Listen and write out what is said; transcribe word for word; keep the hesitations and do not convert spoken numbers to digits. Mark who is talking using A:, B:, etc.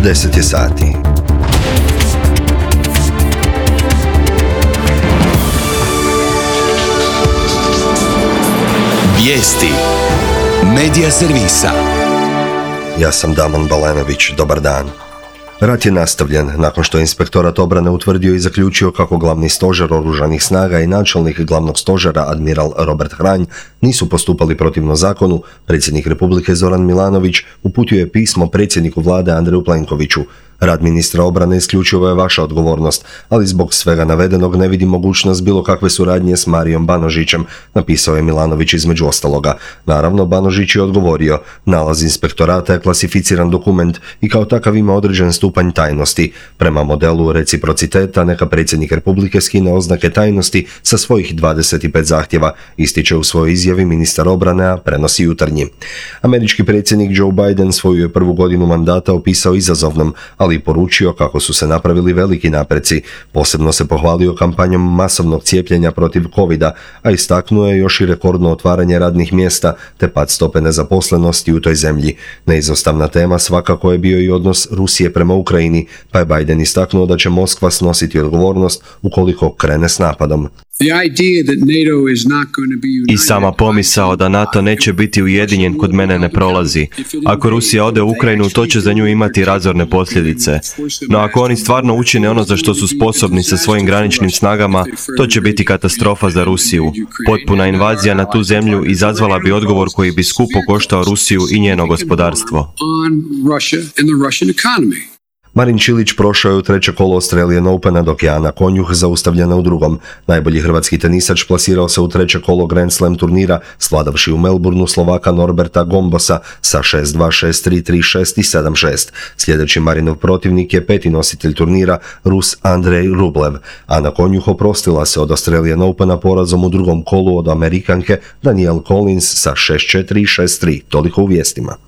A: deset je sati.
B: Vijesti Medija servisa.
A: Ja sam Damon Balenović, dobar dan. Rat je nastavljen nakon što je Inspektorat obrane utvrdio i zaključio kako glavni stožer oružanih snaga i načelnik glavnog stožera admiral Robert Hranj nisu postupali protivno zakonu. Predsjednik Republike Zoran Milanović uputio je pismo predsjedniku vlade Andreju Plenkoviću. Rad ministra obrane isključivo je vaša odgovornost, ali zbog svega navedenog ne vidi mogućnost bilo kakve suradnje s Marijom Banožićem, napisao je Milanović između ostaloga. Naravno, Banožić je odgovorio, nalaz inspektorata je klasificiran dokument i kao takav ima određen stupanj tajnosti. Prema modelu reciprociteta neka predsjednik Republike skine oznake tajnosti sa svojih dvadeset pet zahtjeva, ističe u svojoj izjavi ministar obrane, a prenosi Jutarnji. Američki predsjednik Joe Biden svoju je prvu godinu mandata opisao izazovnom, ali i poručio kako su se napravili veliki napreci. Posebno se pohvalio kampanjom masovnog cijepljenja protiv covida, a istaknuo je još i rekordno otvaranje radnih mjesta te pad stope nezaposlenosti u toj zemlji. Neizostavna tema svakako je bio i odnos Rusije prema Ukrajini, pa je Biden istaknuo da će Moskva snositi odgovornost ukoliko krene s napadom.
C: I sama pomisao da NATO neće biti ujedinjen kod mene ne prolazi. Ako Rusija ode u Ukrajinu, to će za nju imati razorne posljedice. No ako oni stvarno učine ono za što su sposobni sa svojim graničnim snagama, to će biti katastrofa za Rusiju. Potpuna invazija na tu zemlju izazvala bi odgovor koji bi skupo koštao Rusiju i njeno gospodarstvo.
A: Marin Čilić prošao je u treće kolo Australian Opena, dok je Ana Konjuh zaustavljena u drugom. Najbolji hrvatski tenisač plasirao se u treće kolo Grand Slam turnira, svladavši u Melbourneu Slovaka Norberta Gombosa sa šest dva, šest tri, tri šest i sedam šest. Sljedeći Marinov protivnik je peti nositelj turnira, Rus Andrej Rublev. Ana Konjuh oprostila se od Australian Opena porazom u drugom kolu od Amerikanke Danielle Collins sa šest četiri i šest tri. Toliko u vijestima.